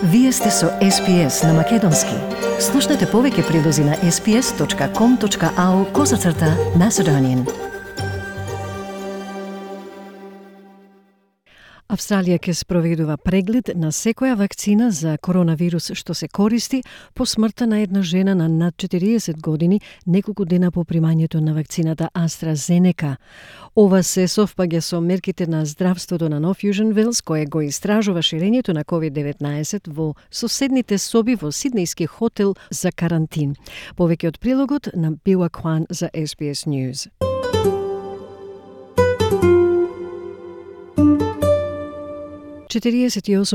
Вие сте со SPS на Македонски. Слушнете повеќе прилози на sps.com.au/Macedonian. Австралија ќе спроведува преглед на секоја вакцина за коронавирус што се користи по смртта на една жена на над 40 години неколку дена по примањето на вакцината AstraZeneca. Ова се совпаѓа со мерките на здравството на North Fusion Wales, кое го истражува ширењето на COVID-19 во соседните соби во сиднејски хотел за карантин. Повеќе од прилогот на Била Кван за SBS News.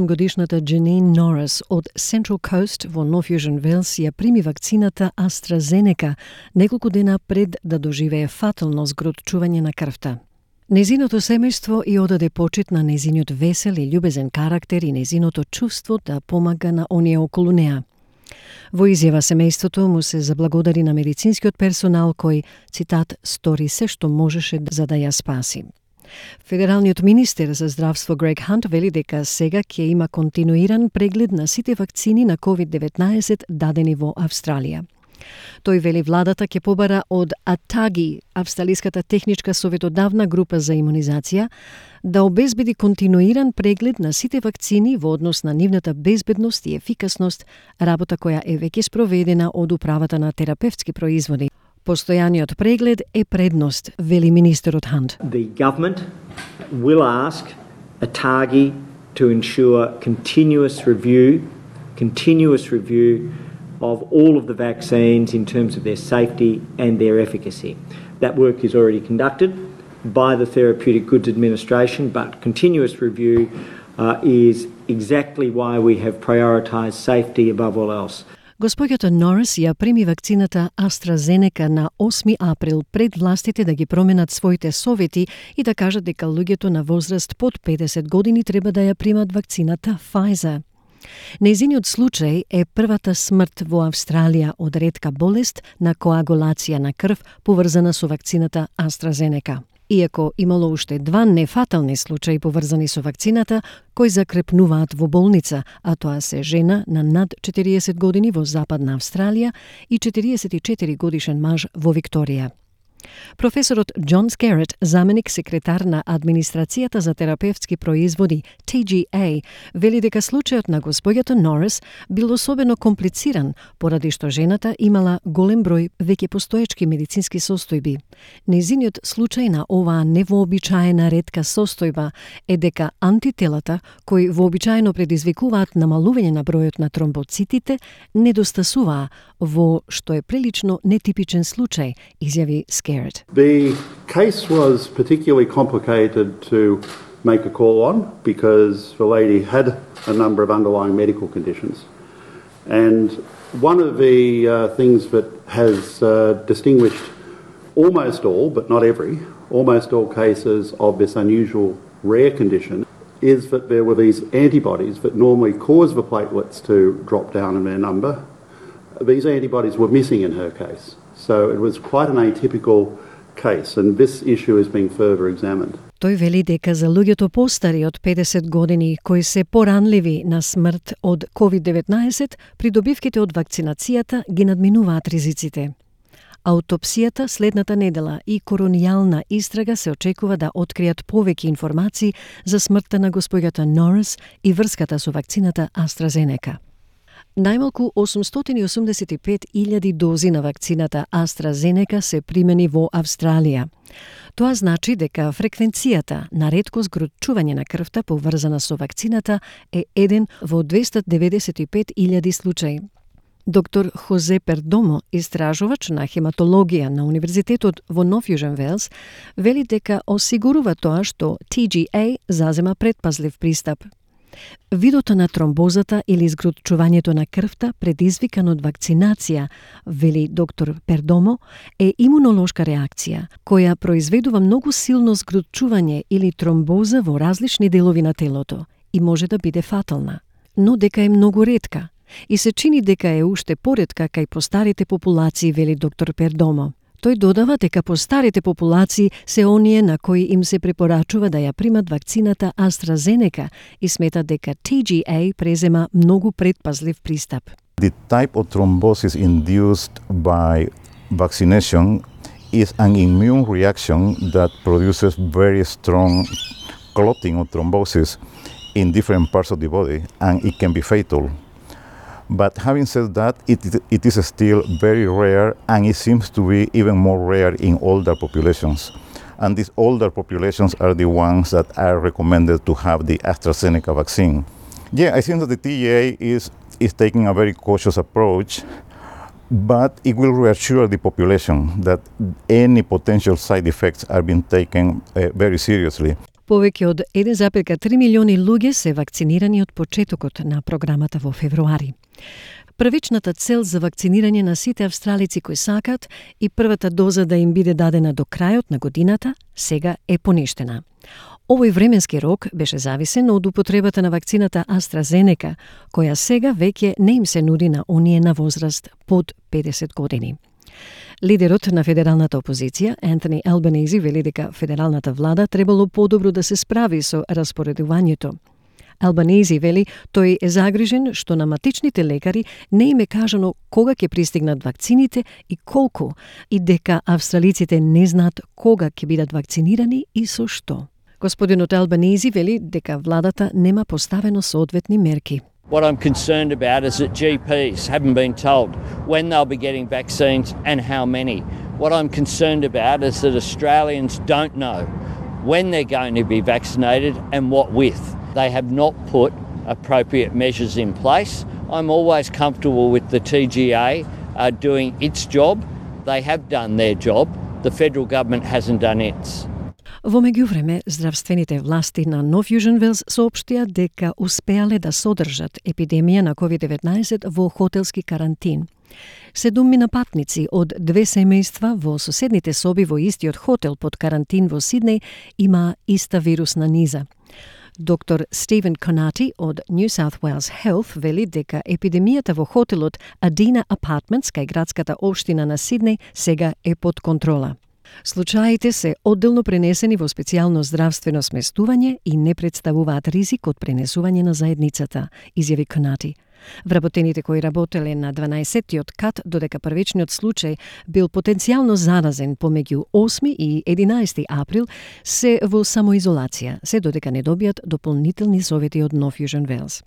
Годишната Janine Norris од Central Coast во North Fusion Wales ја прими вакцината AstraZeneca неколку дена пред да доживее фатално згротчување на крвта. Незиното семејство и одаде почит на незиниот весел и љубезен карактер и незиното чувство да помага на оние околу неа. Во изјава семејството му се заблагодари на медицинскиот персонал кој, цитат, стори се што можеше за да ја спаси. Федералниот министер за здравство Грег Хант вели дека сега ќе има континуиран преглед на сите вакцини на COVID-19 дадени во Австралија. Тој вели владата ќе побара од ATAGI, Австралиската техничка советодавна група за имунизација, да обезбеди континуиран преглед на сите вакцини во однос на нивната безбедност и ефикасност, работа која е веќе спроведена од управата на терапевтски производи. Постојаниот преглед е предност, вели министерот Хант. The government will ask ATAGI to ensure continuous review of all of the vaccines in terms of their safety and their efficacy. That work is already conducted by the Therapeutic Goods Administration, but continuous review is exactly why we have prioritised safety above all else. Господјата Норис ја прими вакцината AstraZeneca на 8 април пред властите да ги променат своите совети и да кажат дека луѓето на возраст под 50 години треба да ја примат вакцината Pfizer. Нејзиниот случај е првата смрт во Австралија од ретка болест на коагулација на крв поврзана со вакцината AstraZeneca. Иако имало уште 2 нефатални случаи поврзани со вакцината, кои закрепнуваат во болница, а тоа се жена на над 40 години во Западна Австралија и 44 годишен маж во Викторија. Професорот Џон Скерет, заменик секретар на Администрацијата за терапевтски производи TGA, вели дека случајот на господјата Норис бил особено комплициран, поради што жената имала голем број веќе постоечки медицински состојби. Нејзиниот случај на оваа невообичаена ретка состојба е дека антителата, кои вообичаено предизвикуваат намалување на бројот на тромбоцитите, недостасуваа, во што е прилично нетипичен случај, изјави Скерет. The case was particularly complicated to make a call on because the lady had a number of underlying medical conditions. And one of the things that has distinguished almost all, but not almost all cases of this unusual rare condition is that there were these antibodies that normally cause the platelets to drop down in their number. These antibodies were missing in her case. So it was quite an atypical case, and this issue is being further examined. Тој вели дека за луѓето постари од 50 години кои се поранливи на смрт од COVID-19, придобивките од вакцинацијата ги надминуваат ризиците. Аутопсијата следната недела и коронијална истрага се очекува да откријат повеќе информации за смртта на господјата Норис и врската со вакцината AstraZeneca. Најмалку 885.000 дози на вакцината AstraZeneca се примени во Австралија. Тоа значи дека фреквенцијата на ретко згротчување на крвта поврзана со вакцината е 1 во 295.000 случаи. Доктор Хозе Пердомо, истражувач на хематологија на Универзитетот во North Fusion Wales, вели дека осигурува тоа што TGA зазема предпазлив пристап. Видото на тромбозата или згротчувањето на крвта предизвикан од вакцинација, вели доктор Пердомо, е имунолошка реакција, која произведува многу силно згротчување или тромбоза во различни делови на телото и може да биде фатална, но дека е многу ретка и се чини дека е уште поретка кај постарите популации, вели доктор Пердомо. Тој додава дека постарите популации се оние на кои им се препорачува да ја примат вакцината AstraZeneca и смета дека TGA презема многу предпазлив пристап. The type of thrombosis induced by vaccination is an immune reaction that produces very strong clotting of thrombosis in different parts of the body, and it can be fatal. But having said that, it is still very rare, and it seems to be even more rare in older populations. And these older populations are the ones that are recommended to have the AstraZeneca vaccine. Yeah, I think that the TGA is taking a very cautious approach, but it will reassure the population that any potential side effects are being taken very seriously. Повеќе од 1,3 милиони луѓе се вакцинирани од почетокот на програмата во февруари. Првичната цел за вакцинирање на сите австралици кои сакат и првата доза да им биде дадена до крајот на годината сега е поништена. Овој временски рок беше зависен од употребата на вакцината AstraZeneca, која сега веќе не им се нуди на оние на возраст под 50 години. Лидерот на федералната опозиција, Ентони Албанези, вели дека федералната влада требало подобро да се справи со распоредувањето. Албанези вели тој е загрижен што на матичните лекари не им е кажано кога ќе пристигнат вакцините и колку, и дека австралиците не знаат кога ќе бидат вакцинирани и со што. Господинот Албанези вели дека владата нема поставено соодветни мерки. What I'm concerned about is that GPs haven't been told when they'll be getting vaccines and how many. What I'm concerned about is that Australians don't know when they're going to be vaccinated and what with. They have not put appropriate measures in place. I'm always comfortable with the TGA doing its job. They have done their job. The federal government hasn't done its. Во меѓувреме, здравствените власти на Нов Јужен Велс соопштија дека успеале да содржат епидемија на COVID-19 во хотелски карантин. 7 патници од 2 семејства во соседните соби во истиот хотел под карантин во Сиднеј има иста вирусна низа. Доктор Стивен Конати од New South Wales Health вели дека епидемијата во хотелот Adina Apartments кај градската општина на Сиднеј сега е под контрола. Случаите се одделно пренесени во специјално здравствено сместување и не представуваат ризик од пренесување на заедницата, изјави Конати. Вработените кои работеле на 12-тиот кат, додека првичниот случај бил потенцијално заразен помеѓу 8 и 11 април, се во самоизолација, се додека не добијат дополнителни совети од Нов Јужен Велс.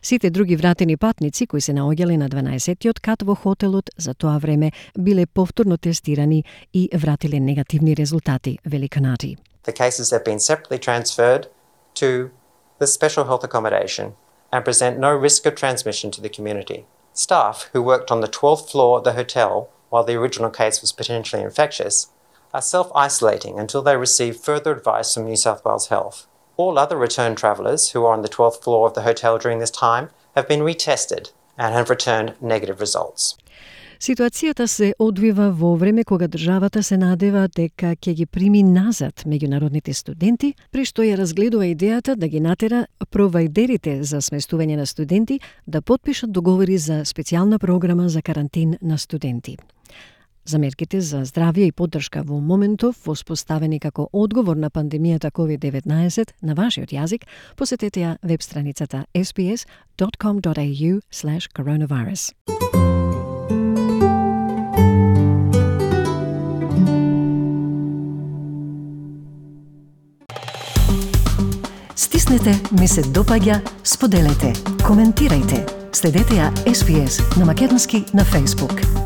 Сите други вратени патници кои се наоѓале на 12-тиот кат во хотелот за тоа време биле повторно тестирани и вратиле негативни резултати, вели Конати. The cases have been separately transferred to the special health accommodation and present no risk of transmission to the community. Staff who worked on the 12th floor of the hotel while the original case was potentially infectious are self-isolating until they receive further advice from New South Wales Health. All other return travellers who are on the 12th floor of the hotel during this time have been retested and have returned negative results. Ситуацијата се одвива во време кога државата се надева дека ќе ги прими назад меѓународните студенти, при што ја разгледува идејата да ги натера провајдерите за сместување на студенти да потпишат договори за специјална програма за карантин на студенти. За мерките за здравје и поддршка во моментов воспоставени како одговор на пандемијата COVID-19 на вашиот јазик, посетете ја веб страницата sbs.com.au/coronavirus. Стиснете, ми се допаѓа, споделете, коментирајте. Следете ја SPS на македонски на Facebook.